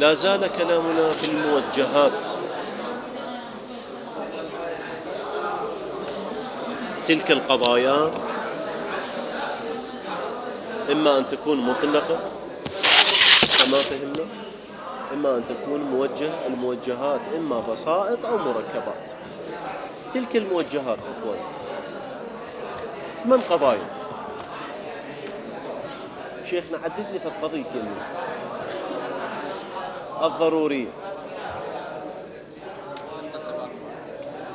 لا زال كلامنا في الموجهات. تلك القضايا إما أن تكون مطلقة كما فهمنا، إما أن تكون موجهة. الموجهات إما بسائط أو مركبات. تلك الموجهات أخوان 8 قضايا. شيخنا عدد لي في قضيتين: الضرورية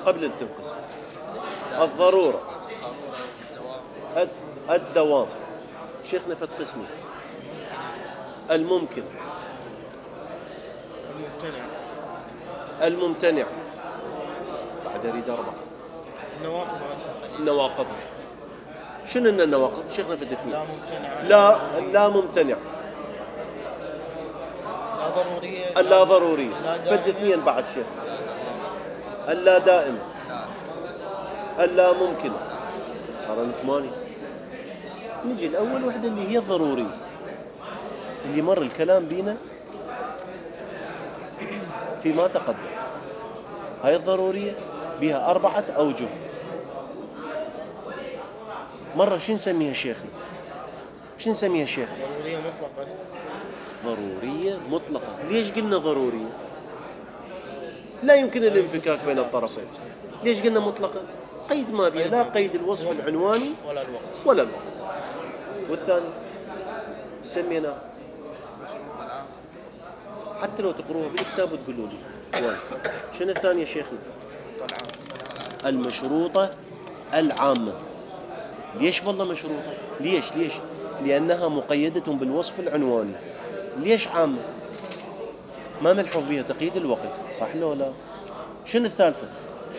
قبل التنقسم، الضرورة، الدوام. شيخنا في قسمي: الممكن، الممتنع. بعد أريد 4. النواقض. شنو إن النواقض؟ شيخنا في 2. لا ممتنع، اللا ضرورية. فد 2 بعد شيخ. اللا دائم، اللا ممكن. صار 8. نجي الأول وحدة اللي هي الضرورية، اللي مر الكلام بينا فيما تقدم. هاي الضرورية بها 4 أوجه. مرة شو نسميها شيخنا؟ شو نسميها شيخ؟ ضرورية مطلقة. ضرورية مطلقة. ليش قلنا ضرورية؟ لا يمكن الانفكاك بين الطرفين. ليش قلنا مطلقة؟ قيد ما بها، لا قيد الوصف العنواني ولا الوقت. والثاني سمينا، حتى لو تقروها بالكتاب وتقولوا لي شنو الثانية شيخنا؟ المشروطة العامة. ليش والله مشروطة؟ ليش؟ لأنها مقيدة بالوصف العنواني. ليش عامة؟ ما ملحوظ بها تقييد الوقت، صح لو لا؟ شنو الثالثة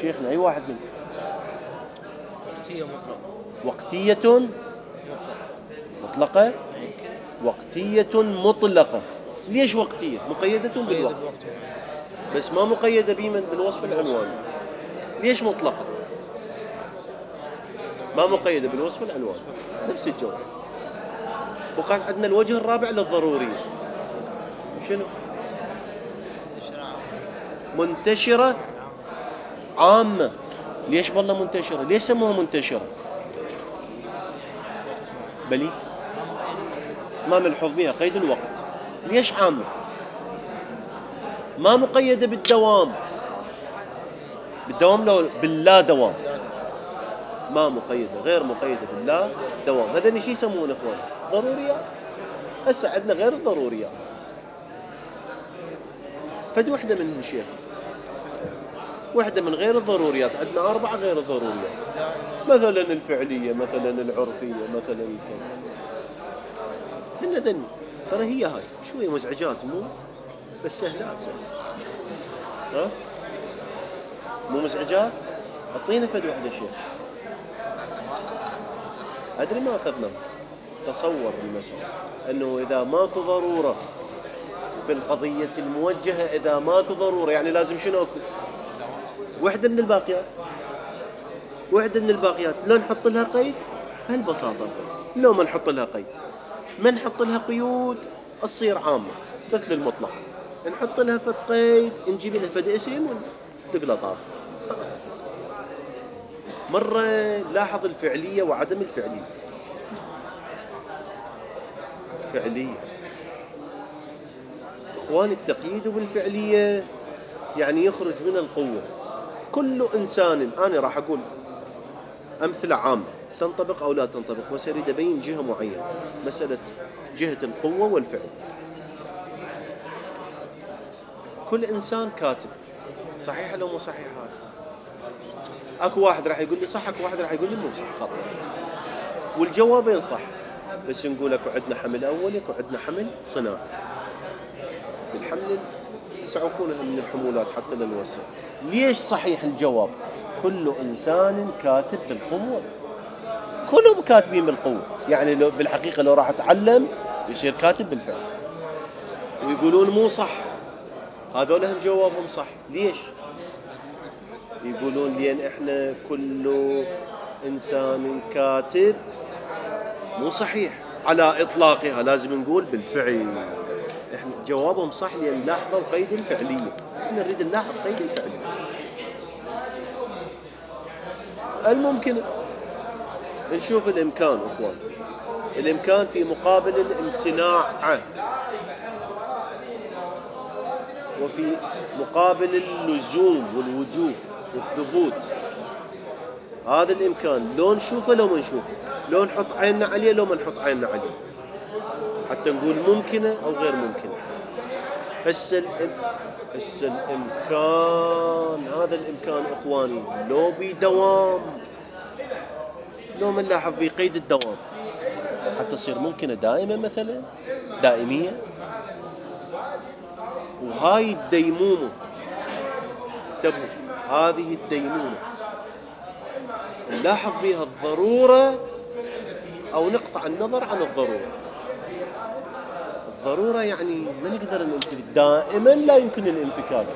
شيخنا؟ أي واحد منهم؟ وقتية مطلقة. وقتية مطلقة. ليش وقتية؟ مقيدة بالوقت بس ما مقيدة بمن؟ بالوصف العنواني. ليش مطلقة؟ ما مقيدة بالوصف العنواني. نفس الجواب. وقال عندنا الوجه الرابع للضرورية. شنو؟ منتشرة عامة. ليش والله منتشرة؟ ليش سموها منتشرة؟ بلي ما ملحوظ بها قيد الوقت. ليش عامة؟ ما مقيدة بالدوام. بالدوام لو باللا دوام. ما مقيدة، غير مقيدة باللا دوام. هذا نشي يسمونه اخوان ضروريات. هسه عندنا غير الضروريات. فد وحدة منهن شيخ، وحدة من غير الضروريات. عندنا 4 غير الضروريات، مثلا الفعلية، مثلا العرفية، مثلا هن ذن. ترى هي هاي شوية مزعجات، مو بس سهلات. ها مو مزعجات. اعطينا فد وحدة شيخ. أدري ما أخذنا. تصور المسألة أنه إذا ماكو ضرورة في القضية الموجهة، إذا ماكو ضرورة يعني لازم شنو أكو؟ وحدة من الباقيات. وحدة من الباقيات لو نحط لها قيد بهالبساطة، لو ما نحط لها قيد، ما نحط لها قيود تصير عامة مثل المطلق. نحط لها فد قيد، نجيب لها فد اسم وندق طاف. مرة لاحظ الفعلية وعدم الفعلية. فعلية اخوان، التقييد بالفعلية يعني يخرج من القوة. كل إنسان، أنا راح أقول أمثلة عامة تنطبق أو لا تنطبق، بس أريد أبين جهة معينة، مسألة جهة القوة والفعل. كل إنسان كاتب، صحيح لو مو صحيح؟ هذا أكو واحد راح يقول لي صح، أكو واحد راح يقول لي مو صح، خطأ. والجوابين صح، بس نقول أكو عندنا حمل أولي، أكو عندنا حمل صناعي. بالحمل يسعفونها من الحمولات حتى لنوسع. ليش صحيح الجواب؟ كل إنسان كاتب بالقوة. كلهم كاتبين بالقوة. يعني لو بالحقيقة لو راح أتعلم يصير كاتب بالفعل. ويقولون مو صح، هذول هم جوابهم صح. ليش؟ يقولون لأن إحنا كل إنسان كاتب مو صحيح على إطلاقها، لازم نقول بالفعل. إحنا جوابهم صح لأن لاحظوا قيد الفعلية. احنا نريد نلاحظ قيد الفعلية. الممكن نشوف الإمكان أخوان، الإمكان في مقابل الامتناع، وفي مقابل اللزوم والوجوب والثبوت. هذا الإمكان لو نشوفه لو ما نشوفه، لو نحط عيننا عليه لو ما نحط عيننا عليه، حتى نقول ممكنة أو غير ممكنة. هسه الإمكان، هذا الإمكان إخواني لو بدوام، لو ما نلاحظ بقيد الدوام حتى تصير ممكنة دائمة مثلا، دائمية. وهاي الديمومة، انتبهوا، هذه الديمومة نلاحظ بها الضرورة أو نقطع النظر عن الضرورة. الضرورة يعني ما نقدر ننفك دائما، لا يمكن الانفكاك.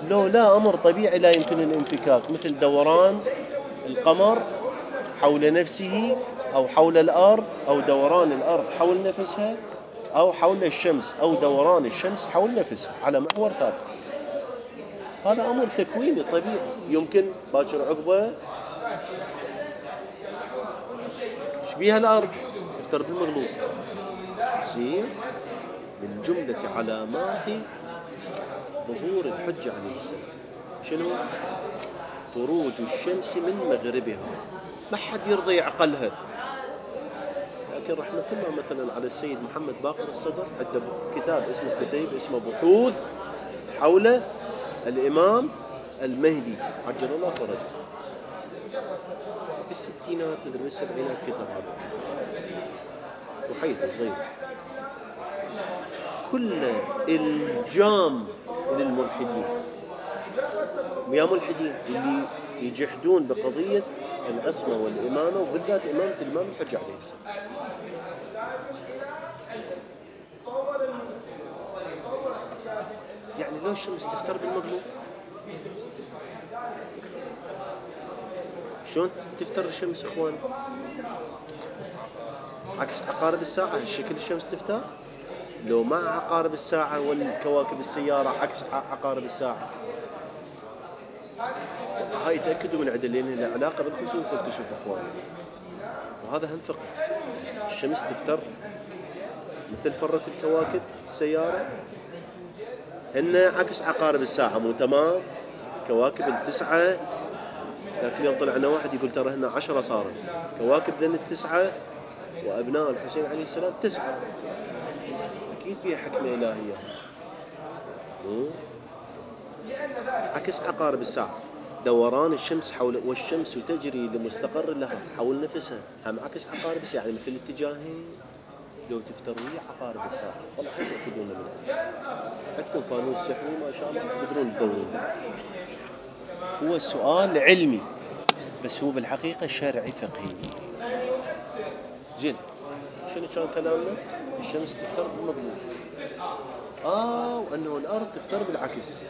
لو لا أمر طبيعي لا يمكن الانفكاك، مثل دوران القمر حول نفسه أو حول الأرض، أو دوران الأرض حول نفسها، أو حول الشمس، أو دوران الشمس حول نفسها على محور ثابت. هذا أمر تكويني طبيعي يمكن باكر عقبه. شبيها الأرض تفتر بالمغلوب، تصير من جملة علامات ظهور الحجة عليه السلام شنو؟ خروج الشمس من مغربها. ما حد يرضى يعقلها، لكن رحمة الله مثلا على السيد محمد باقر الصدر، عنده كتاب اسمه كتيب اسمه بحوث حول الإمام المهدي عجل الله فرجه. بالستينات مدري بالسبعينات كتب هذا الكتاب، وحيث صغير كل الجام للملحدين، ويا ملحدين اللي يجحدون بقضية العصمة والإمامة، وبالذات إمامة الإمام الحجة عليه السلام. يعني لو الشمس تفتر بالمغلوب، شلون تفتر الشمس إخوان؟ عكس عقارب الساعة الشكل الشمس تفتر، لو مع عقارب الساعة والكواكب السيارة عكس عقارب الساعة. هاي تأكدوا من عدل لأنها لها علاقة بالخسوف والكسوف إخوان، وهذا هم فقه. الشمس تفتر مثل فرة الكواكب السيارة، هن عكس عقارب الساعة، مو تمام؟ الكواكب التسعة، ذاك اليوم طلعنا واحد يقول ترى هن 10 صارت كواكب ذن التسعة، وأبناء الحسين عليه السلام 9. أكيد بها حكمة إلهية. عكس عقارب الساعة، دوران الشمس حول، والشمس تجري لمستقر لها حول نفسها، هم عكس عقارب الساعة، يعني مثل الاتجاهين. لو تفتروي عقارب الساعة والله حيث تأكدون من عندكم فانوس سحري ما شاء الله تقدرون تدورون. هو السؤال علمي بس هو بالحقيقة شرعي فقهي. زين، شنو كان كلامنا؟ الشمس تفتر بالمغرب، وأنه الأرض تفتر بالعكس.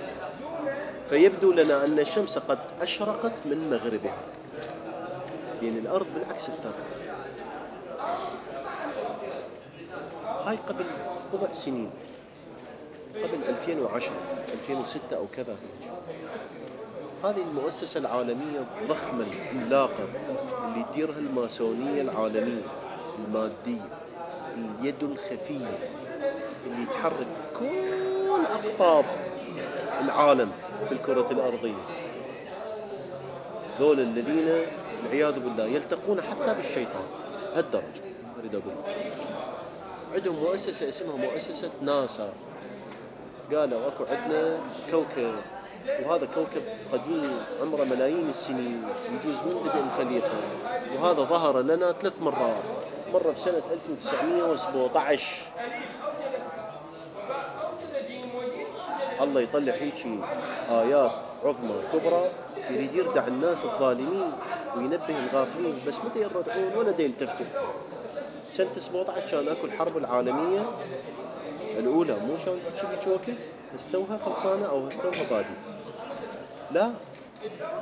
فيبدو لنا أن الشمس قد أشرقت من مغربها، لأن الأرض بالعكس افترت. هاي قبل بضع سنين، قبل 2010 2006 أو كذا. هذه المؤسسة العالمية الضخمة العملاقة اللي تديرها الماسونية العالمية المادية، اليد الخفية اللي تحرك كل أقطاب العالم في الكرة الأرضية، ذول الذين والعياذ بالله يلتقون حتى بالشيطان هالدرجة. أريد أقول عندهم مؤسسة اسمها مؤسسة ناسا. قالوا أكو عندنا كوكب، وهذا كوكب قديم عمره ملايين السنين، يجوز من بدء الخليقة، وهذا ظهر لنا 3 مرات، مرة في سنة 1917. الله يطلع هيك آيات عظمى كبرى، يريد يردع الناس الظالمين وينبه الغافلين، بس متى يردعون ولا دي يلتفتوا. سنة 17 كان أكو الحرب العالمية الأولى، مو كانت هيك وقت هستوها خلصانة أو هستوها بادي، لا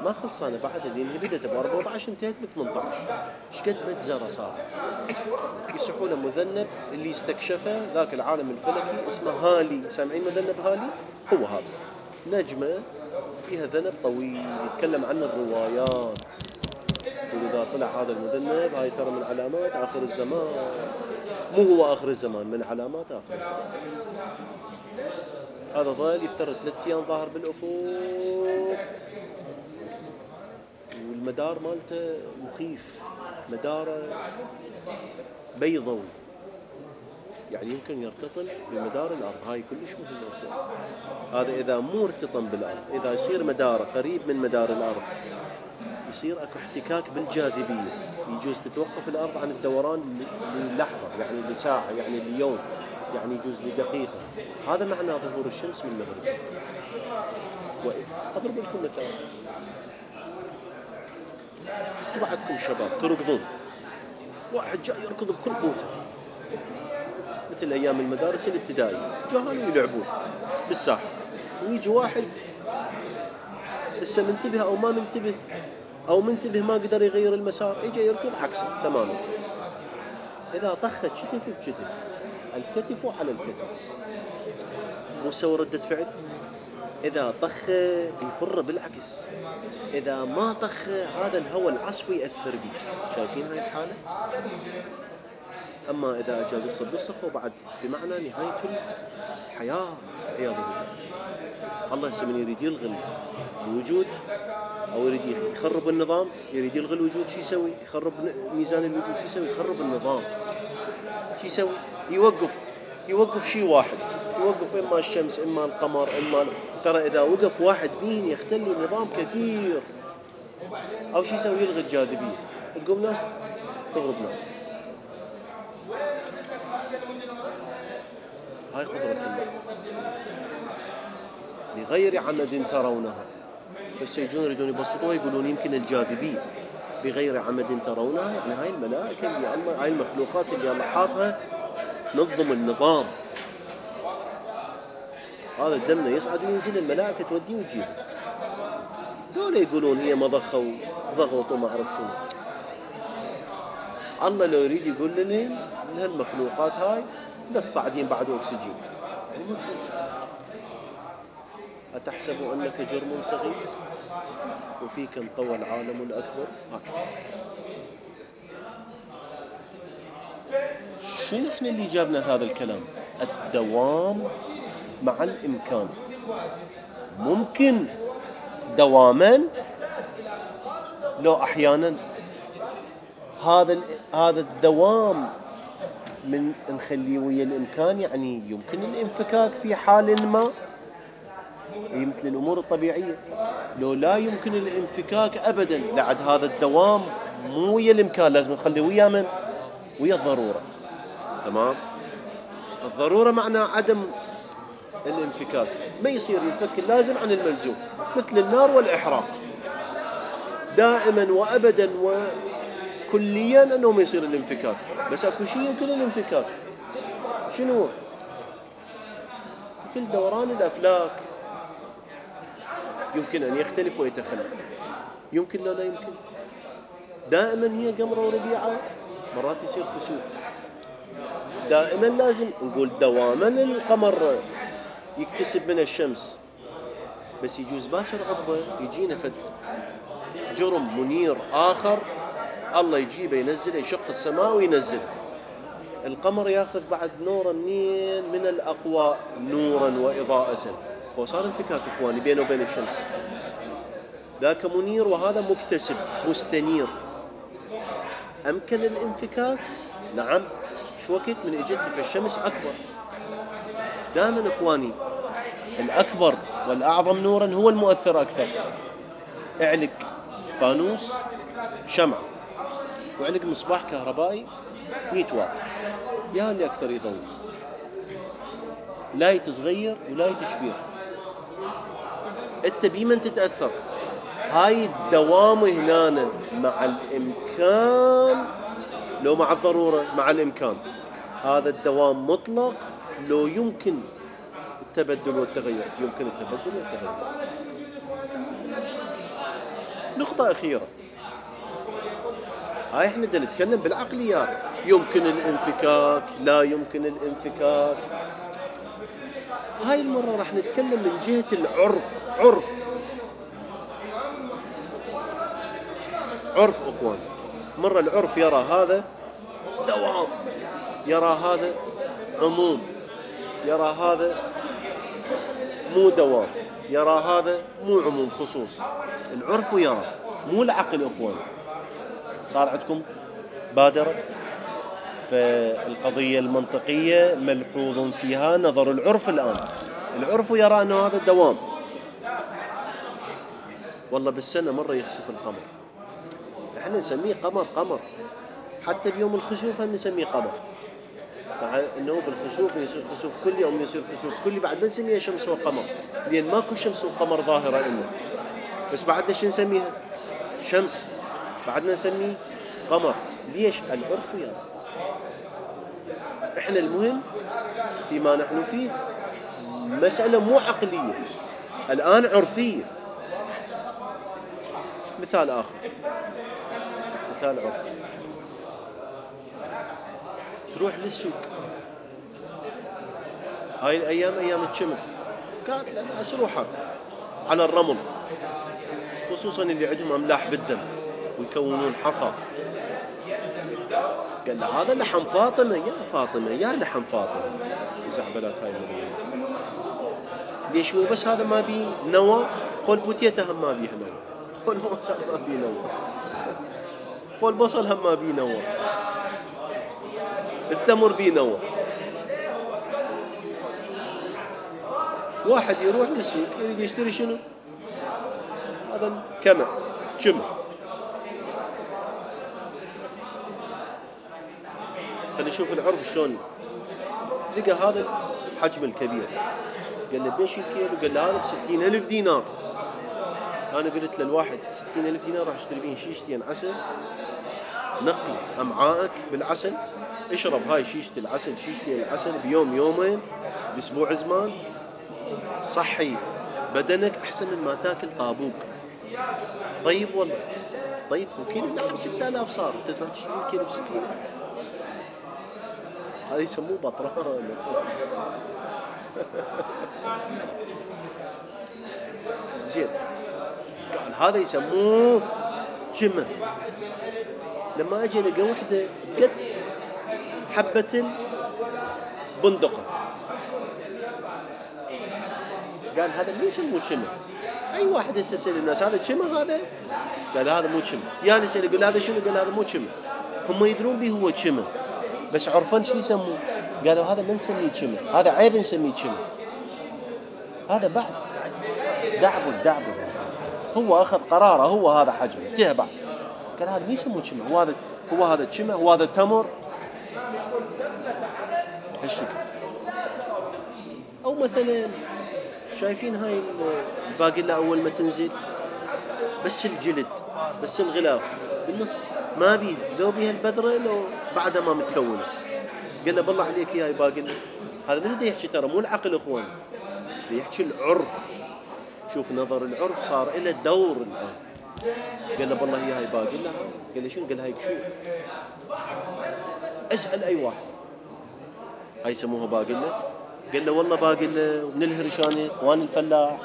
ما خلصانه بعد، لان هي بدت ب 14 انتهت ب 18. ايش قد مجزره صارت. يصحوا له مذنب اللي استكشفه ذاك العالم الفلكي اسمه هالي. سامعين مذنب هالي؟ هو هذا نجمه فيها ذنب طويل يتكلم عن الروايات. وإذا طلع هذا المذنب هاي ترى من علامات آخر الزمان. مو هو آخر الزمان، من علامات آخر الزمان. هذا ظل يفترض 3 أيام ظاهر بالأفق، والمدار مالته مخيف، مداره بيضوي، يعني يمكن يرتطم بمدار الأرض. هاي كلش مهم ارتطام. هذا إذا مو ارتطم بالأرض، إذا يصير مداره قريب من مدار الأرض يصير اكو احتكاك بالجاذبية، يجوز تتوقف الأرض عن الدوران للحظة، يعني لساعة، يعني ليوم، يعني يجوز لدقيقة. هذا معنى ظهور الشمس من المغرب. أضرب لكم مثال. بعدكم شباب تركضون، واحد جاي يركض بكل قوته مثل أيام المدارس الابتدائية، جاهلوا يلعبون بالساحة، ويجي واحد لسه منتبه أو ما منتبه، أو منتبه ما قدر يغير المسار، يجي يركض عكسه تماما. إذا طخت كتف بكتف، الكتف على الكتف، مو سوى ردة فعل. إذا طخ يفر بالعكس، إذا ما طخ هذا الهواء العصفي يأثر به. شايفين هاي الحالة؟ أما إذا أجا قصة وبعد بمعنى نهاية الحياة عياذ بالله. الله هسه من يريد يلغي الوجود أو يريد يخرب النظام، يريد يلغي الوجود، شو يسوي؟ يخرب ميزان الوجود. شو يسوي؟ يخرب النظام. شو يسوي؟ يوقف شيء واحد، يوقف إما الشمس إما القمر إما ترى إذا وقف واحد بين يختل النظام كثير. أو شو يسوي؟ يلغي الجاذبية، تقوم ناس تغرب ناس. هاي قدرة الله بغير عمد ترونها. بس يجون يريدون يبسطوها، يقولون يمكن الجاذبية بغير عمد ترونها، يعني هاي الملائكة اللي الله، هاي المخلوقات اللي الله حاطها نظم النظام. هذا الدم يصعد وينزل، الملائكة توديه وتجيبه. دول يقولون هي مضخة وضغط وما أعرف شنو. الله لو يريد يقول لنا هالمخلوقات هاي للصاعدين بعد أكسجين، يعني ما تنسى. أتحسب أنك جرم صغير وفيك انطوى العالم الأكبر. شو نحن اللي جابنا هذا الكلام؟ الدوام مع الإمكان. ممكن دواما لو أحيانا هذا الدوام من نخليه ويا الإمكان، يعني يمكن الانفكاك في حال ما، مثل الأمور الطبيعية. لو لا يمكن الانفكاك أبدا، لعد هذا الدوام مو ويا الإمكان، لازم نخليه ويا من؟ ويا الضرورة. تمام. الضرورة معنى عدم الانفكاك، ما يصير ينفك اللازم عن الملزوم، مثل النار والإحراق. دائما وأبدا وكليا أنه ما يصير الانفكاك، بس أكو شيء يمكن الانفكاك. شنو؟ مثل دوران الأفلاك يمكن أن يختلف ويتخلف، يمكن لا يمكن. دائما هي قمرة وربيعة، مرات يصير كسوف. دائما لازم نقول دواما القمر يكتسب من الشمس، بس يجوز باكر عقبه يجينا فد جرم منير آخر، الله يجيبه ينزل، يشق السماء وينزل القمر، ياخذ بعد نورا منين؟ من الأقوى نورا وإضاءة. فصار انفكاك إخواني بينه وبين الشمس. ذاك منير وهذا مكتسب مستنير. أمكن الانفكاك؟ نعم. شو وقت من إجت فالشمس أكبر. دائما إخواني الأكبر والأعظم نورا هو المؤثر أكثر. اعلق فانوس شمع وعلق مصباح كهربائي 100 واط، يا اللي أكثر يضوي، لا يتصغير ولا يتكبير. انت بمن تتأثر؟ هاي الدوام هنا مع الإمكان لو مع الضرورة؟ مع الإمكان. هذا الدوام مطلق لو يمكن التبدل والتغير، يمكن التبدل والتغير. نقطة أخيرة، هاي احنا دا نتكلم بالعقليات، يمكن الانفكاك لا يمكن الانفكاك. هاي المرة راح نتكلم من جهة العرف. عرف أخوان، مرة العرف يرى هذا دوام، يرى هذا عموم، يرى هذا مو دوام، يرى هذا مو عموم خصوص. العرف يرى، مو العقل أخوان. صار عندكم بادرة، فالقضية المنطقية ملحوظ فيها نظر العرف. الآن العرف يرى أنه هذا دوام. والله بالسنة مرة يخسف القمر، احنا نسميه قمر، حتى بيوم الخسوف هم نسميه قمر، مع انه بالخسوف يصير خسوف كلي او يصير خسوف كلي، بعد ما نسميها شمس وقمر، لان ماكو شمس وقمر ظاهرة إلنا، بس بعدنا شو نسميها؟ شمس، بعدنا نسميه قمر. ليش؟ العرف يرى. احنا المهم فيما نحن فيه مسألة مو عقلية، الآن عرفية. مثال آخر، مثال عرفي، تروح للسوق هاي الأيام، أيام الشمل، كانت الناس روحها على الرمل، خصوصا اللي عندهم أملاح بالدم ويكونون حصى. قال له هذا لحم فاطمة، يا فاطمة يا لحم فاطمة، زعبلات هاي المدينة. ليش هو بس هذا ما بيه نوى؟ قول بوتيته هم ما بيه نوى، قول موسى ما بيه نوى، قول بصل هم ما بيه نوى، التمر بيه نوى. واحد يروح للسوق يريد يشتري شنو؟ هذا كمع شمع. فنشوف العرف شلون لقى هذا الحجم الكبير، قال له بيش الكيلو؟ قال له هذا ب60,000 دينار. أنا قلت للواحد 60,000 دينار راح اشتري بين شيشتين عسل، نقي أمعائك بالعسل، اشرب هاي شيشة العسل، شيشتين العسل بيوم يومين بأسبوع زمان، صحي بدنك أحسن من ما تاكل طابوق. طيب والله، طيب وكيلو اللحم 6,000 صار، انت تروح تشتري الكيلو ب60,000؟ هذا يسموه بطران. زين، قال هذا يسموه جمة. لما اجي لقى وحده قد حبة البندقة، قال هذا مين يسموه جمة؟ اي واحد يستسأل الناس هذا جمة هذا؟ قال هذا مو جمة. يعني يسأل يقول هذا شنو؟ قال هذا مو جمة. هم يدرون به هو جمة، بس عرفان شو يسموه؟ قالوا هذا ما نسميه جمة، هذا عيب نسميه جمة، هذا بعد دعبل. هو أخذ قراره، هو هذا حجمه جه بعد، قال هذا ما يسموه جمة، هو هذا جمة، وهذا تمر هالشكل. أو مثلا شايفين هاي الباقلة أول ما تنزل بس الجلد، بس الغلاف بالنص ما بيه، لو بيها البذرة لو بعدها ما متكونة. قال له بالله عليك يا باقلة، هذا من اللي يحكي؟ ترى مو العقل اخوان، اللي يحكي العرف. شوف نظر العرف صار إلى دور الآن. قال له بالله هي هاي باقلة. قال له شنو؟ قال هاي كشور. اسأل أي واحد هاي يسموها باقلة؟ قال له والله باقلة من الهرشاني وانا الفلاح،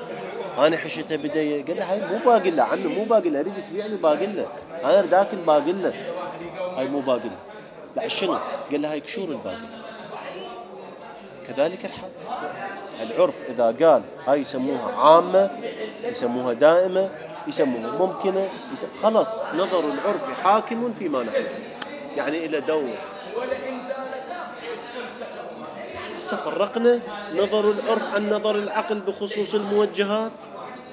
انا حشتها بداية. قال له هاي مو باقلة عمي، مو باقلة، اريد تبيع لي باقلة، انا اريد اكل باقلة، هاي مو باقلة. لا شنو؟ قال له هاي كشور الباقلة. كذلك الحال العرف إذا قال هاي يسموها عامة، يسموها دائمة، يسموها ممكنة، خلص نظر العرف حاكم فيما نحن، يعني إلى دور. هسه فرقنا نظر العرف عن نظر العقل بخصوص الموجهات،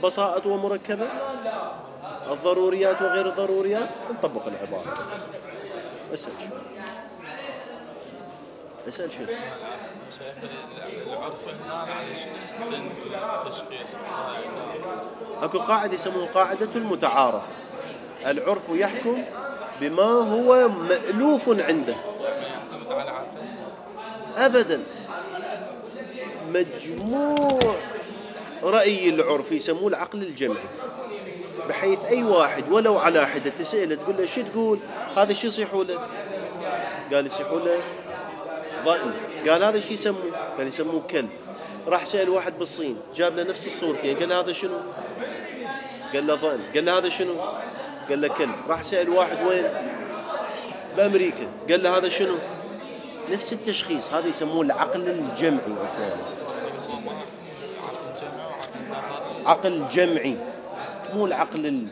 بساطة ومركبة، الضروريات وغير الضروريات. نطبق العبارة. اسأل شو؟ العرف هنا على شنو يستند التشخيص؟ اكو قاعدة يسموها قاعدة المتعارف. العرف يحكم بما هو مألوف عنده، ما يعتمد على عقل أبدا. مجموع رأي العرف يسموه العقل الجمعي. بحيث أي واحد ولو على حدة تسأله تقول له شو تقول هذا شو يصيحوا له؟ قال يصيحوا له ضأن. قال هذا شو يسموه؟ قال يسموه كلب. راح سأل واحد بالصين جاب له نفس الصورتين قال له هذا شنو؟ قال له ضأن. قال له هذا شنو؟ قال له كلب. راح سأل واحد وين؟ بأمريكا قال له هذا شنو؟ نفس التشخيص. هذا يسموه العقل الجمعي أخوان. عقل جمعي مو العقل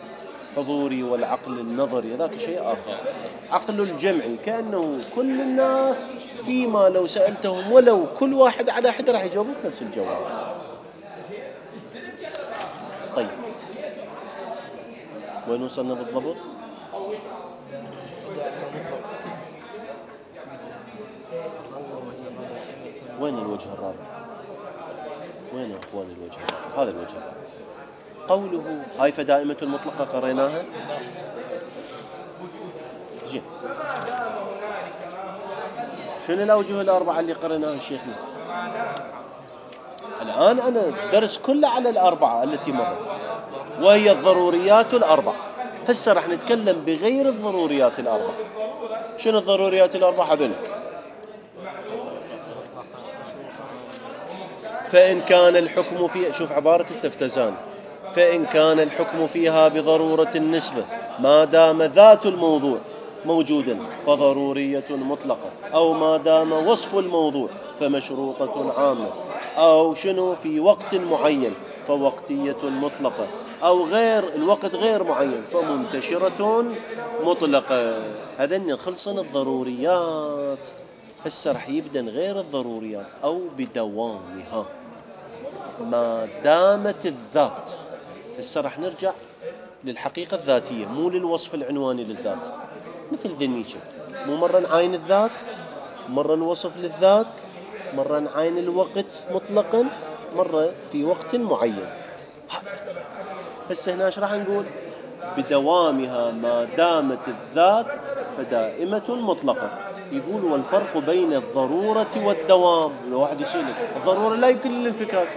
الحضوري والعقل النظري، ذاك شيء آخر. عقل الجمعي كأنه كل الناس فيما لو سألتهم ولو كل واحد على حد راح يجاوبك نفس الجواب. طيب وين وصلنا بالضبط؟ وين الوجه الرابع؟ وين يا أخواني الوجه الرابع؟ هذا الوجه الرابع. قوله هاي فدائمة المطلقة قريناها. زين، شنو الأوجه الأربعة اللي قريناها شيخنا؟ الآن أنا درس كله على الأربعة التي مرت وهي الضروريات الأربعة. هسه راح نتكلم بغير الضروريات الأربعة. شنو الضروريات الأربعة هذول؟ فإن كان الحكم فيها، شوف عبارة التفتزان، فإن كان الحكم فيها بضرورة النسبة ما دام ذات الموضوع موجودا فضرورية مطلقة، أو ما دام وصف الموضوع فمشروطة عامة، أو شنو في وقت معين فوقتية مطلقة، أو غير الوقت غير معين فمنتشرة مطلقة. هذين خلصنا الضروريات. هسه رح يبدأ غير الضروريات أو بدوامها ما دامت الذات. هسه رح نرجع للحقيقة الذاتية مو للوصف العنواني للذات. مثل ذنيشة مو مرة نعاين الذات، مرة نوصف للذات، مرة نعاين الوقت مطلقا، مرة في وقت معين. هسه هنا ايش راح نقول؟ بدوامها ما دامت الذات فدائمة مطلقة. يقول والفرق بين الضرورة والدوام. لو واحد يسألك الضرورة لا يمكن الانفكاك،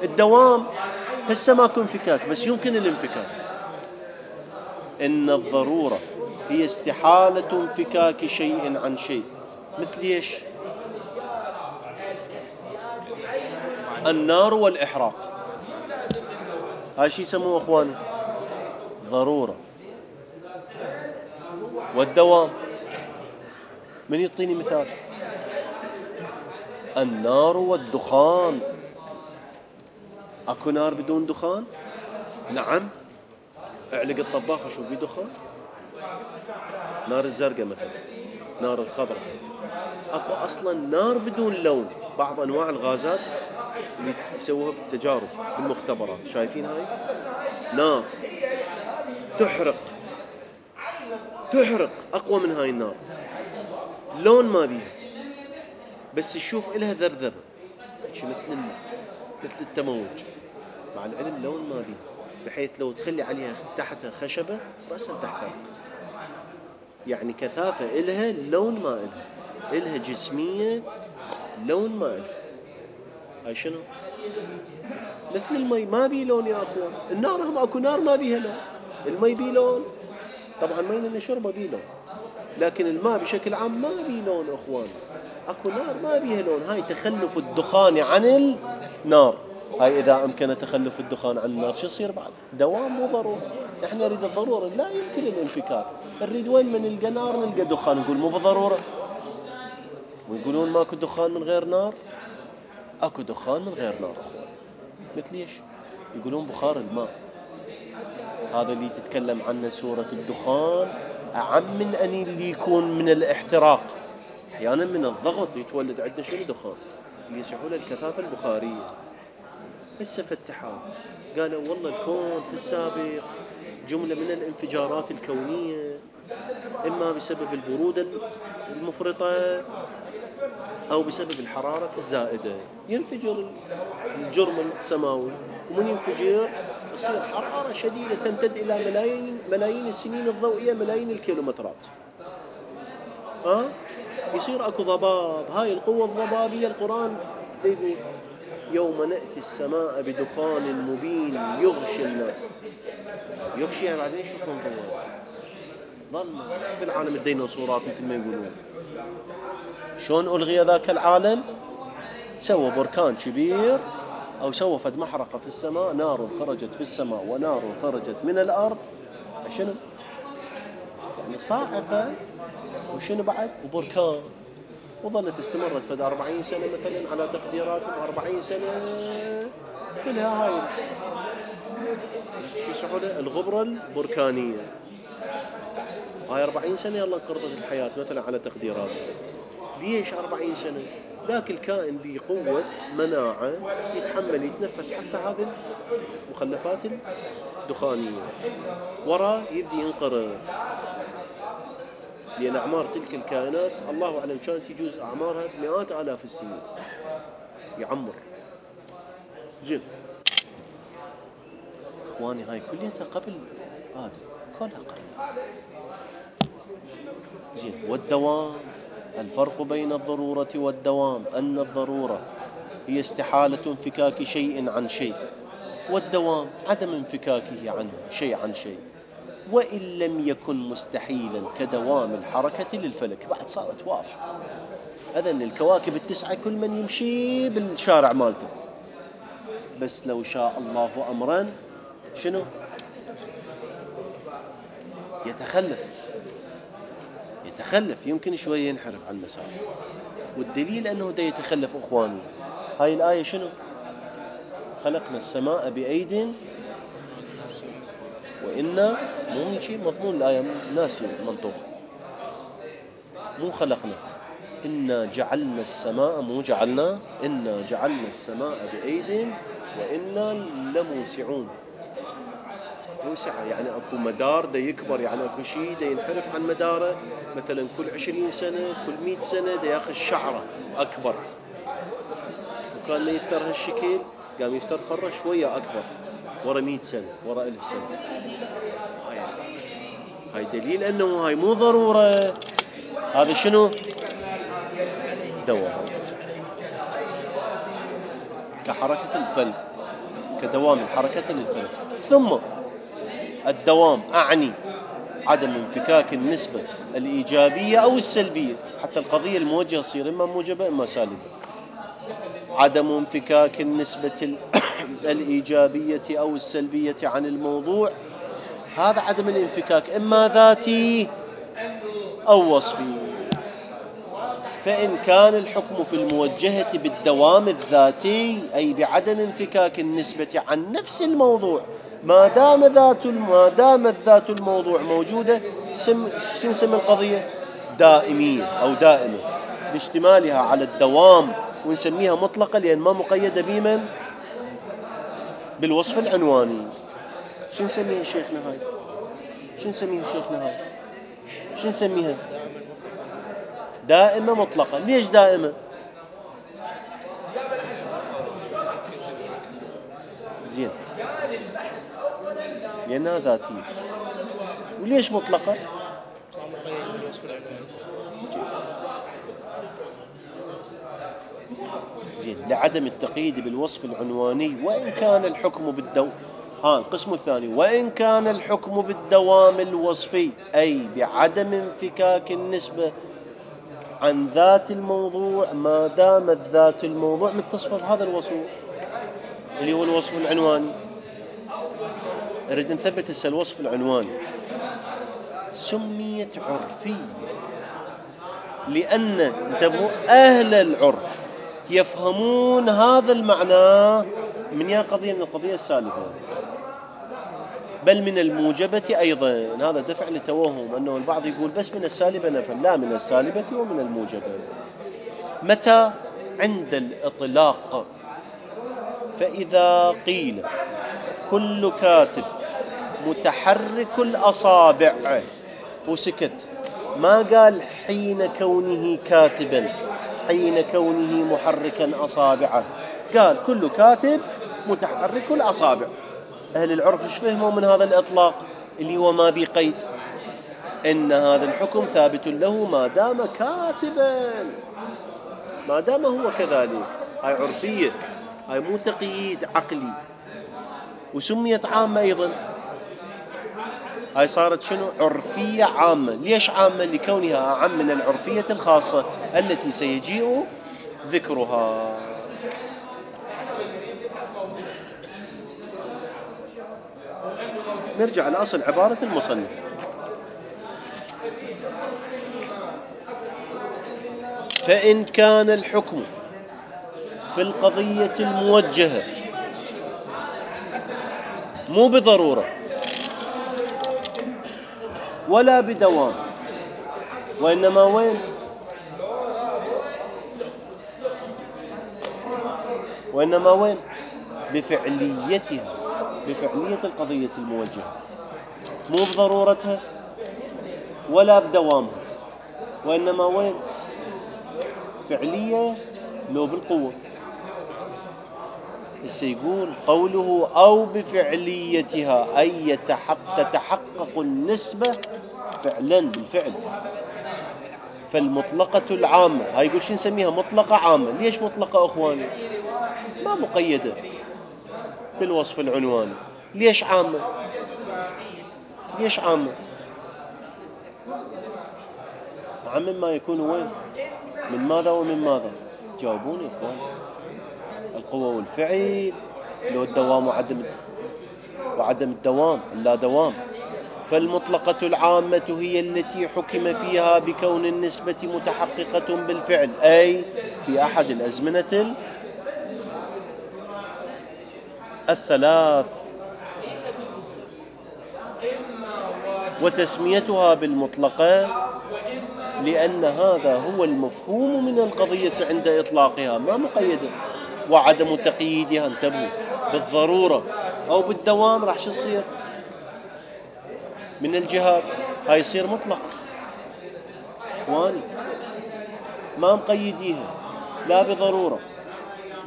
الدوام هسه ماكو انفكاك بس يمكن الانفكاك. إن الضرورة هي استحالة انفكاك شيء عن شيء. مثل ايش؟ النار والإحراق. هاي شي يسموه أخواني ضرورة. والدوام من يعطيني مثال؟ النار والدخان. اكو نار بدون دخان؟ نعم. اعلق الطباخ وشوف بيه دخان. نار الزرقاء مثلا، نار الخضراء. اكو اصلا نار بدون لون. بعض انواع الغازات اللي يسووها بالتجارب بالمختبرات شايفين هاي نار تحرق اقوى من هاي النار. لون ما بيها بس تشوف إلها ذبذبة مثل التموج. مع العلم لون ما بيها، بحيث لو تخلي عليها تحتها خشبة رأسا تحتها. يعني كثافة إلها لون ما إلها جسمية لون ما إلها. هاي شنو؟ مثل المي ما بيه لون يا أخوان. النار هم أكو نار ما بيها لون. المي بيه لون طبعا مي اللي نشربه بيه لون، لكن الماء بشكل عام ما بيه لون أخوان. أكو نار ما بيها لون. هاي تخلف الدخان عن النار. هاي إذا أمكن تخلف الدخان عن النار شو يصير بعد؟ دوام مو ضرورة. إحنا نريد الضرورة لا يمكن الانفكاك. نريد وين من نلقى نار نلقى دخان نقول مو بضرورة. ويقولون ماكو دخان من غير نار. أكو دخان من غير نار أخوان. مثل إيش؟ يقولون بخار الماء. هذا اللي تتكلم عنه سورة الدخان أعم من أن اللي يكون من الاحتراق. أحيانا من الضغط يتولد عندنا شنو دخان اللي يسمونه الكثافة البخارية. هسه فتحوا قالوا والله الكون في السابق جملة من الانفجارات الكونية، إما بسبب البرودة المفرطة أو بسبب الحرارة الزائدة ينفجر الجرم السماوي، ومن ينفجر يصير حرارة شديدة تمتد إلى ملايين السنين الضوئية، ملايين الكيلومترات. يصير أكو ضباب. هاي القوة الضبابية القرآن يقول يوم نأتي السماء بدخان مبين يغشي الناس. يغشي يعني بعدين يشوفون ضوء ظلمة في العالم الديناصورات مثل ما يقولون. شلون ألغي ذاك العالم؟ سوى بركان كبير أو سوى فد محرقة في السماء، نار خرجت في السماء ونار خرجت من الأرض. شنو يعني؟ صاعقة وشنو بعد وبركان. وظلت استمرت فد 40 سنة مثلا على تقديراتهم، 40 سنة كلها هاي شو يسمونه الغبرة البركانية. هاي 40 سنة يلا انقرضت الحياة مثلا على تقديراتهم. ليش 40 سنة؟ ذاك الكائن بقوة مناعة يتحمل يتنفس حتى هذه المخلفات الدخانية. ورا يبدي ينقرض، لأن أعمار تلك الكائنات الله أعلم كانت يجوز أعمارها بمئات آلاف السنين. يعمر زين. إخواني هاي كلها قبل آدم، كلها قبل. زين. والدوام، الفرق بين الضرورة والدوام أن الضرورة هي استحالة انفكاك شيء عن شيء، والدوام عدم انفكاكه عنه شيء عن شيء، وإن لم يكن مستحيلا كدوام الحركة للفلك. بعد صارت واضحة. أذن الكواكب التسعة كل من يمشي بالشارع مالته، بس لو شاء الله أمرا شنو؟ يتخلف يمكن شوية ينحرف عن المسار. والدليل أنه دا يتخلف أخواني هاي الآية شنو؟ خلقنا السماء بأيد وإنا مو شيء مضمون الآية ناسي منطوق. مو خلقنا، إنا جعلنا السماء، مو جعلنا، إنا جعلنا السماء بأيد وإنا لموسعون. توسع يعني أكو مدار دا يكبر، يعني أكو شيء دا ينحرف عن مداره. مثلا كل 20 سنة كل 100 سنة دا ياخذ شعرة أكبر، وكان ما يفتر هالشكل قام يفتر فرة شوية أكبر ورا 100 سنة ورا 1000 سنة. هاي دليل أنه هاي مو ضرورة. هذا شنو؟ دوام، كحركة الفلك، كدوام الحركة للفلك. ثم الدوام أعني عدم انفكاك النسبة الإيجابية أو السلبية، حتى القضية الموجهة تصير إما موجبة إما سالبة. عدم انفكاك النسبة الإيجابية أو السلبية عن الموضوع، هذا عدم الانفكاك إما ذاتي أو وصفي. فإن كان الحكم في الموجهة بالدوام الذاتي أي بعدم انفكاك النسبة عن نفس الموضوع، ما دامت ذات الموضوع موجودة، نسمي القضية دائمية أو دائمة باشتمالها على الدوام، ونسميها مطلقة لأن ما مقيدة بمن؟ بالوصف العنواني. شو نسميها شيخنا هاي؟ شو نسميها؟ دائمة مطلقة. ليش دائمة؟ زين، لأنها ذاتية. وليش مطلقة؟ زين، لعدم التقييد بالوصف العنواني. وإن كان الحكم القسم الثاني، وإن كان الحكم بالدوام الوصفي أي بعدم انفكاك النسبة عن ذات الموضوع ما دامت ذات الموضوع متصفة بهذا الوصف اللي هو الوصف العنواني. نريد نثبت هسه الوصف العنواني سميت عرفية لأن انتبهوا أهل العرف يفهمون هذا المعنى من قضية من القضية السالفة، بل من الموجبة أيضا. هذا دفع لتوهم أنه البعض يقول بس من السالبة نفهم، لا، من السالبة ومن الموجبة. متى؟ عند الإطلاق. فإذا قيل كل كاتب متحرك الأصابع وسكت، ما قال حين كونه كاتبا، حين كونه محركا أصابعه، قال كل كاتب متحرك الأصابع. أهل العرف ايش فهموا من هذا الإطلاق اللي هو ما بقيد؟ إن هذا الحكم ثابت له ما دام كاتبا، ما دام هو كذلك. هاي عرفية، هاي مو تقييد عقلي. وسميت عامة أيضا، هاي صارت شنو؟ عرفية عامة. ليش عامة؟ لكونها أعم من العرفية الخاصة التي سيجيء ذكرها. نرجع لأصل عبارة المصنف. فإن كان الحكم في القضية الموجهة مو بضرورة ولا بدوام، وإنما وين؟ وإنما وين؟ بفعليتها، بفعلية القضية الموجهة، مو بضرورتها ولا بدوامها، وإنما وين؟ فعلية لو بالقوة. يقول قوله أو بفعليتها أي تتحقق النسبة فعلا بالفعل. فالمطلقة العامة، هاي يقول شو نسميها؟ مطلقة عامة. ليش مطلقة أخواني؟ ما مقيدة بالوصف العنواني. ليش عامة؟ ليش عامة؟ عام ما يكون وين؟ من ماذا ومن ماذا؟ جاوبوني إخوان. القوة والفعل، لو الدوام وعدم الدوام، لا دوام. فالمطلقة العامة هي التي حكم فيها بكون النسبة متحققة بالفعل، أي في أحد الأزمنة الثلاث. وتسميتها بالمطلقة لأن هذا هو المفهوم من القضية عند إطلاقها، ما مقيدة. وعدم تقييدها، انتبهوا، بالضرورة أو بالدوام راح شو يصير من الجهات؟ هاي يصير مطلق. واني ما مقيديها لا بضرورة،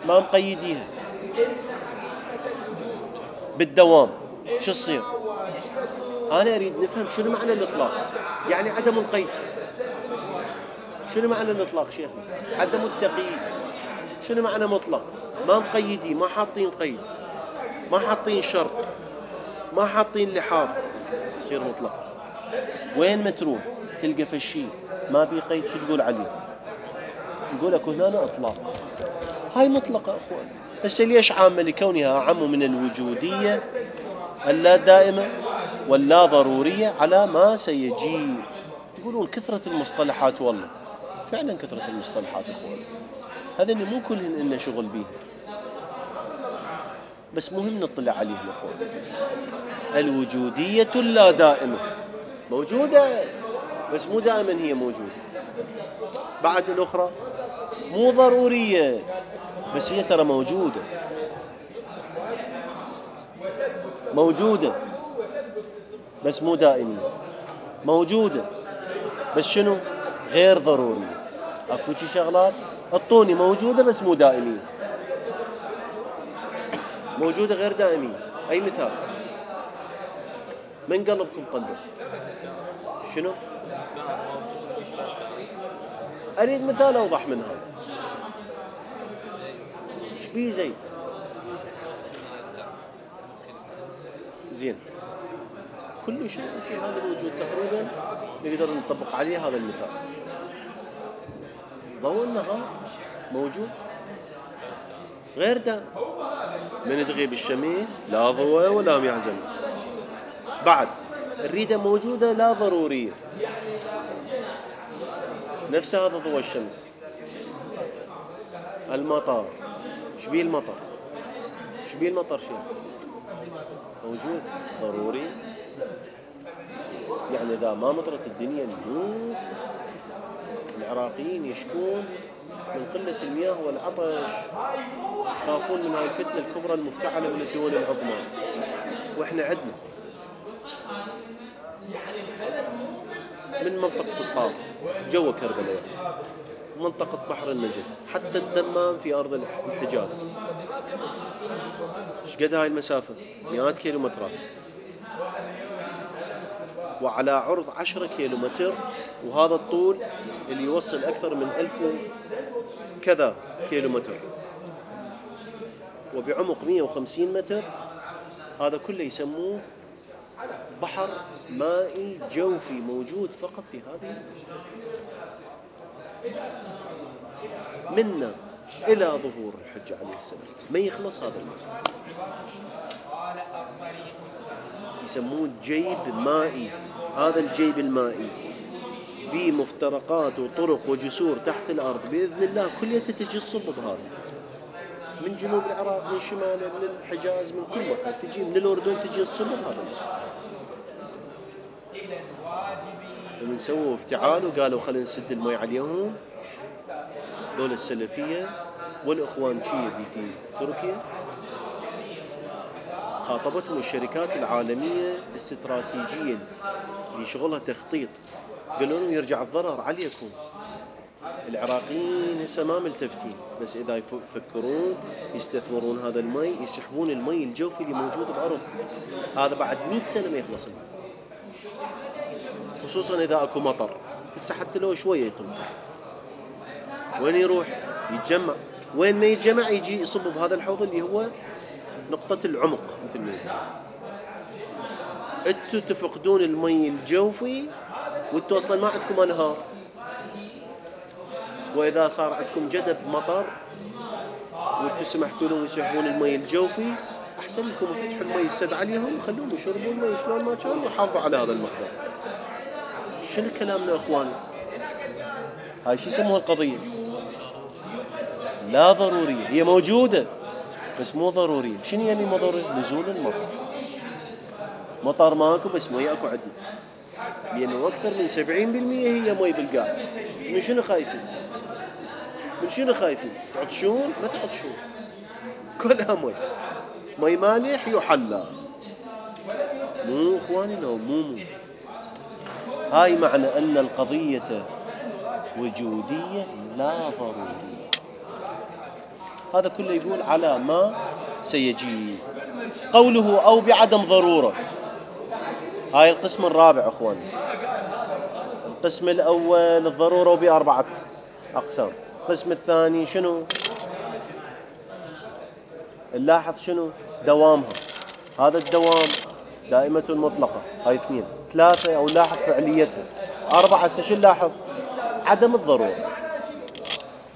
ما مقيديها بالدوام، شو يصير؟ أنا أريد نفهم شنو معنى الإطلاق، يعني عدم القيد. شنو معنى الإطلاق شيخنا؟ عدم التقييد. شنو معنى مطلق؟ ما مقيدين، ما حاطين قيد، ما حاطين شرط، ما حاطين لحاظ، يصير مطلق. وين ما تروح تلقى فشي ما في قيد، شو تقول عليه؟ نقول لك هنا إطلاق. هاي مطلقة أخوان. بس ليش عامة؟ لكونها أعم من الوجودية اللا دائمة واللا ضرورية على ما سيجي. يقولون كثرة المصطلحات، والله فعلا كثرة المصطلحات أخوان، هذا اللي مو كلهن إنه شغل بيه، بس مهم نطلع عليهم أخوان. الوجودية اللا دائمة موجودة، بس مو دائما هي موجودة. بعد الأخرى مو ضرورية، بس هي ترى موجودة. موجودة بس مو دائمية. موجودة بس شنو؟ غير ضرورية. أكو شي شغلات الطوني موجودة بس مو دائمية، موجودة غير دائمية. أي مثال؟ من قلبكم قلبه؟ شنو؟ أريد مثال أوضح من هذا. شبيه زيد؟ زين، كل شيء في هذا الوجود تقريبا نقدر نطبق عليه هذا المثال. ضوء النهار موجود غير دائم، من تغيب الشمس لا ضوء ولا هم يعزل. بعد الريدة موجودة لا ضرورية، نفس هذا ضوء الشمس. المطر، شبيه المطر؟ شبيه المطر؟ شيء موجود ضروري. يعني إذا ما مطرت الدنيا نموت. العراقيين يشكون من قلة المياه والعطش، خافون من هاي الفتنة الكبرى المفتعلة من الدول العظمى. وإحنا عندنا من منطقة الطائف جوا كربلاء، منطقة بحر النجف، حتى الدمام في أرض الحجاز. ايش قد هاي المسافة؟ مئات كيلومترات، وعلى عرض 10 كيلومتر، وهذا الطول اللي يوصل أكثر من 1000 كذا كيلومتر. وبعمق 150 متر، هذا كله يسموه بحر مائي جوفي موجود فقط في هذه منا إلى ظهور الحج عليه السلام ما يخلص هذا الماء. يسموه جيب مائي. هذا الجيب المائي بمفترقات وطرق وجسور تحت الأرض بإذن الله كلها تجي تصب بهذا، من جنوب العراق، من شماله، من الحجاز، من كل مكان تجي، من الأردن تجي تصب بهذا. فمن سووا افتعال وقالوا خلينا نسد المي عليهم، دول السلفية والإخوان اللي في تركيا، خاطبتهم الشركات العالمية الاستراتيجية اللي شغلها تخطيط، قالوا لهم يرجع الضرر عليكم. العراقيين هسه ما ملتفتين، بس إذا يفكرون يستثمرون هذا المي، يسحبون المي الجوفي اللي موجود بأرض، هذا بعد 100 سنة ما يخلص المي، خصوصا إذا أكو مطر. هسه حتى لو شوية تمطر وين يروح؟ يتجمع. وين ما يتجمع يجي يصب بهذا الحوض اللي هو نقطة العمق مثل ما يقول. انتوا تفقدون المي الجوفي وانتوا اصلا ما عندكم انهار، واذا صار عندكم جدب مطر وانتوا سمحتوا لهم يسحبون المي الجوفي، احسن لكم فتحوا المي السد عليهم وخلوهم يشربون المي شلون ما كان وحافظوا على هذا المقدار. شنو كلامنا اخواني؟ هاي شو يسموها القضية؟ لا ضرورية. هي موجودة بس مو ضرورية. شنو يعني مو ضروري؟ نزول المطر. مطر ماكو بس مي اكو عندنا، لانه اكثر من 70% هي مي بالقاع. من شنو خايفين؟ من شنو خايفين؟ تعطشون؟ ما تعطشون، كلها مي. مي مالح يحلى. مو اخواني، لو مو هاي معنى ان القضية وجودية لا ضرورية. هذا كله يقول على ما سيجي. قوله أو بعدم ضرورة، هاي القسم الرابع أخواني. القسم الأول الضرورة وبأربعة أقسام. القسم الثاني شنو؟ نلاحظ شنو؟ دوامها. هذا الدوام دائمة مطلقة، هاي 2. 3 أو لاحظ فعليتها. 4 شو نلاحظ؟ عدم الضرورة.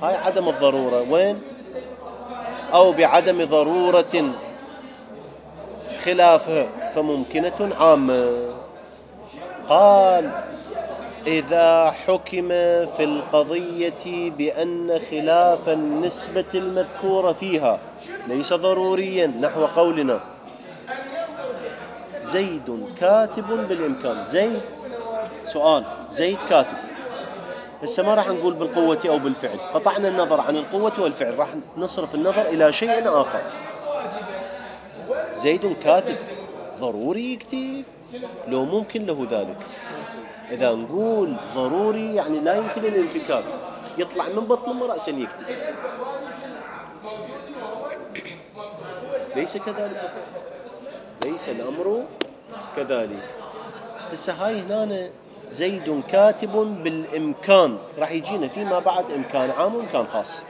هاي عدم الضرورة وين؟ أو بعدم ضرورة خلافها فممكنة عامة. قال إذا حكم في القضية بأن خلاف النسبة المذكورة فيها ليس ضروريا، نحو قولنا زيد كاتب بالإمكان. زيد سؤال، زيد كاتب. هسه ما راح نقول بالقوة أو بالفعل، قطعنا النظر عن القوة والفعل، راح نصرف النظر إلى شيء آخر. زيد كاتب ضروري يكتب لو ممكن له ذلك. إذا نقول ضروري يعني لا يمكن الانفكاك، يطلع من بطن أمه رأسا يكتب. ليس كذلك، ليس الأمر كذلك. هسه هاي هنا زيد كاتب بالإمكان، راح يجينا فيما بعد إمكان عام وإمكان خاص.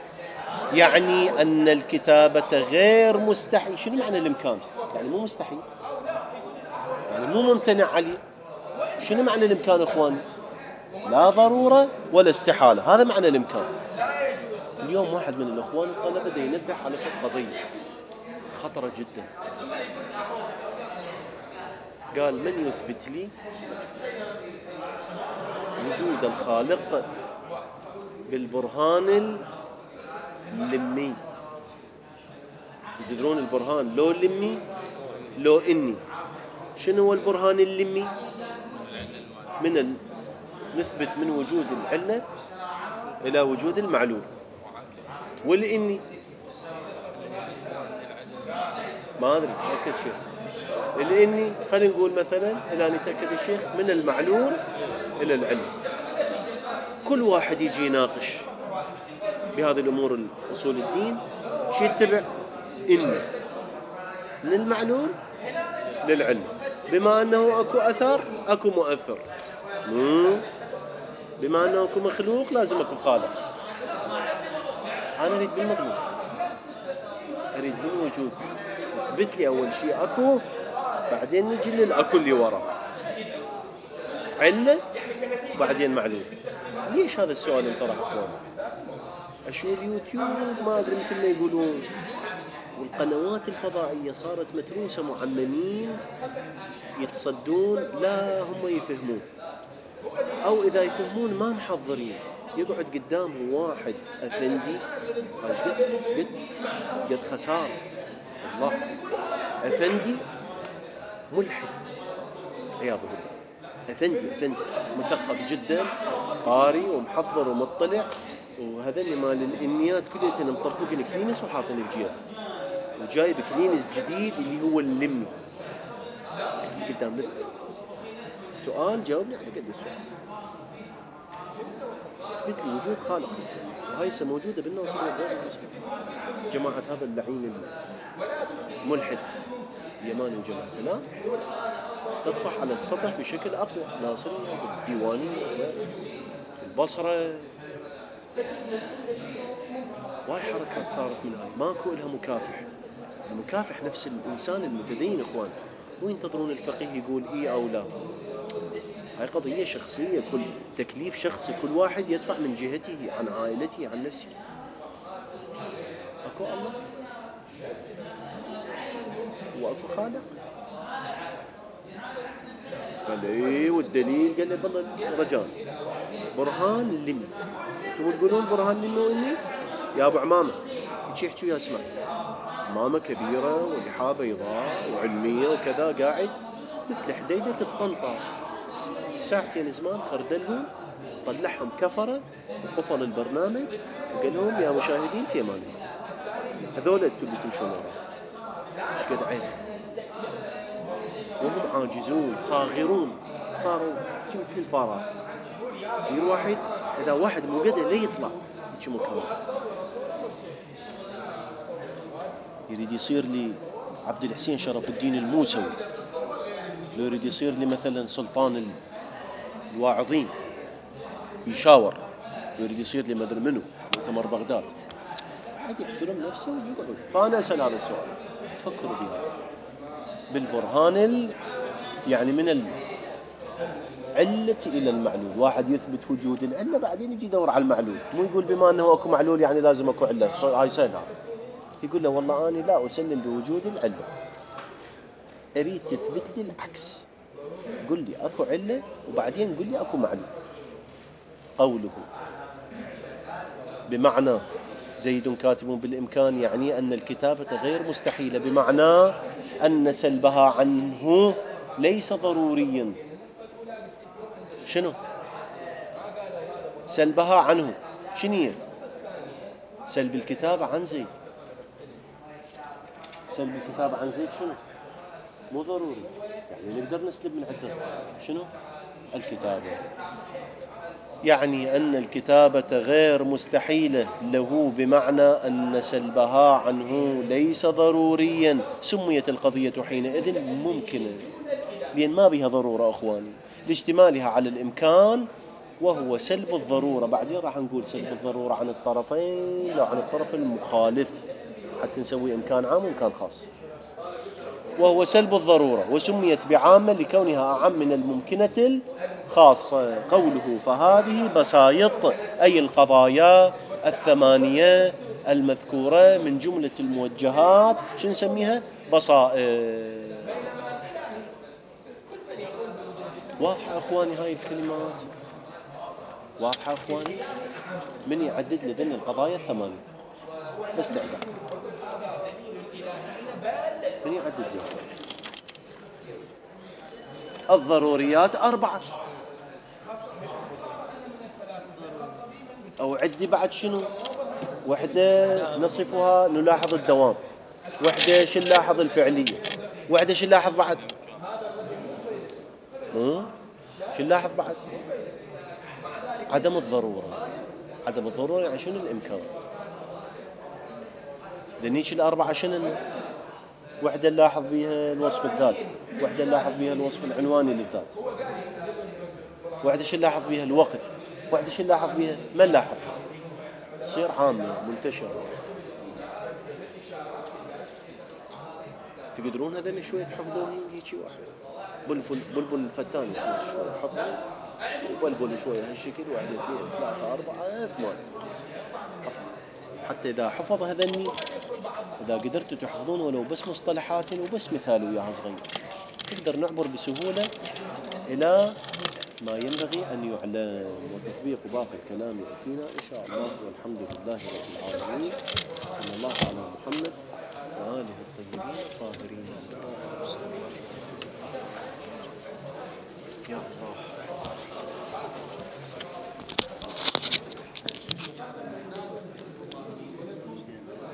يعني أن الكتابة غير مستحيل. شنو معنى الإمكان؟ يعني مو مستحيل، يعني مو ممتنع عليه. شنو معنى الإمكان إخواني؟ لا ضرورة ولا استحالة، هذا معنى الإمكان. اليوم واحد من الإخوان الطلبة دا ينبه على قضية خطرة جدا. قال من يثبت لي وجود الخالق بالبرهان اللمي؟ تقدرون البرهان لو لمي لو إني. شنو هو البرهان اللمي؟ نثبت من وجود العلة إلى وجود المعلول. والإني ما أدري، تأكد شيخ. الإني خلينا نقول مثلا إلى نتأكد الشيخ من المعلول إلى العلة. كل واحد يجي يناقش بهذه الأمور أصول الدين شي يتبع إني من المعلول للعلة. بما أنه أكو أثر أكو مؤثر، بما أنه أكو مخلوق لازم أكو خالق. أنا أريد بالمضمون. اريد بالوجود اثبت لي اول شيء اكو، بعدين نجي للاكو اللي ورا، علة وبعدين معلول. ليش هذا السؤال انطرح اخوان؟ اشو اليوتيوب ما ادري مثل ما يقولون، والقنوات الفضائية صارت متروسة، معممين يتصدون لا هم يفهمون، او اذا يفهمون ما محضرين. يقعد قدامه واحد افندي قد خسارة والله، افندي ملحد عياذ بالله، افندي مثقف جدا، قاري ومحضر ومطلع، وهذني مال الانيات كليتين مطبقين كلينس وحاطين بجيب، وجايب كلينس جديد اللي هو اللمي قدام لت سؤال جاوبني على قد السؤال. مثل وجود خالق، وهاي موجودة بالناصرية وغير الناصرية. جماعة هذا اللعين الملحد اليماني وجماعته لا تطفح على السطح بشكل أقوى، ناصرية بالديوانية البصرة، واي حركات صارت من هاي، ماكو إلها مكافح. المكافح نفس الإنسان المتدين إخوان، وينتظرون الفقيه يقول إيه أو لا. هاي قضية شخصية، كل تكليف شخصي، كل واحد يدفع من جهته عن عائلته عن نفسه. أكو الله وأكو خالق، قال إيه والدليل، قال لي بالله رجال برهان لمي، انتم تقولون برهان لمي وإني يا أبو عمامة يحكوا يا سمعت ماما كبيرة ولحاها بيضاء وعلمية وكذا، قاعد مثل حديدة الطنطا ساعتين زمان خردلهم طلعهم كفرة وقفل البرنامج وقال لهم يا مشاهدين في امان الله. هذول انتم اللي تمشون وراه، ايش قد عيب وهم عاجزون صاغرون، صاروا مثل الفارات. يصير واحد اذا واحد مو قدر لا يطلع هيك مكان، يريد يصير لي عبد الحسين شرف الدين الموسوي، لو يريد يصير لي مثلا سلطان الواعظين يشاور، لو يريد يصير لي مدري منه مؤتمر بغداد، أحد يحترم نفسه ويقعد. فأنا أسأل هذا السؤال، تفكروا بها بالبرهان يعني من العلة إلى المعلول. واحد يثبت وجود العلة بعدين يجي يدور على المعلول، مو يقول بما أنه أكو معلول يعني لازم أكو علة. هاي سهلة، يقول له والله أنا لا أسلم بوجود العلة، أريد تثبت لي العكس، قل لي أكو علة وبعدين قل لي أكو معلول. قوله بمعنى زيد كاتب بالإمكان يعني أن الكتابة غير مستحيلة، بمعنى أن سلبها عنه ليس ضروريا. شنو سلبها عنه؟ شنو سلب الكتابة عن زيد؟ سلب الكتابة عن زيد شنو؟ مو ضروري، يعني نقدر نسلب من عنده شنو؟ الكتابة. يعني أن الكتابة غير مستحيلة له، بمعنى أن سلبها عنه ليس ضروريا، سميت القضية حينئذ ممكنة، لأن ما بها ضرورة أخواني، لاجتمالها على الإمكان وهو سلب الضرورة. بعدين راح نقول سلب الضرورة عن الطرفين لا عن الطرف المخالف، حتى نسوي إمكان عام وإمكان خاص. وهو سلب الضرورة، وسميت بعامة لكونها أعم من الممكنة الخاصة. قوله فهذه بسايط، أي القضايا الثمانية المذكورة من جملة الموجهات، شو نسميها؟ بسائط. واضحة أخواني هاي الكلمات؟ واضحة أخواني؟ من يعدد لذن القضايا الثمانية بس تعداد، من يعدد لي؟ الضروريات 4، أو عدي بعد شنو؟ وحدة نصفها نلاحظ الدوام، وحدة شو نلاحظ الفعلية، وحدة شو نلاحظ بعد؟ شو نلاحظ بعد؟ عدم الضرورة. عدم الضرورة يعني شنو؟ الإمكان. دنيش 4 شنو؟ وحدة نلاحظ بها الوصف الذاتي، وحدة نلاحظ بها الوصف العنواني للذات، وحدة شو نلاحظ بها الوقت، وحدة شو نلاحظ بها ما نلاحظ، تصير عامة منتشرة. تقدرون هذول شويه تحفظون هيجي واحد بلبل الفتان اسمه شويه حطهم وبلبل شويه هالشكل 1 2 3 4 8 حفظ. حتى اذا حفظ هذني اذا قدرتوا تحفظون ولو بس مصطلحات وبس مثال وياها صغير نقدر نعبر بسهوله الى ما ينبغي ان يعلم، وتطبيق باقي الكلام ياتينا ان شاء الله. والحمد لله رب العالمين، صلى الله على محمد وآله الطيبين الطاهرين.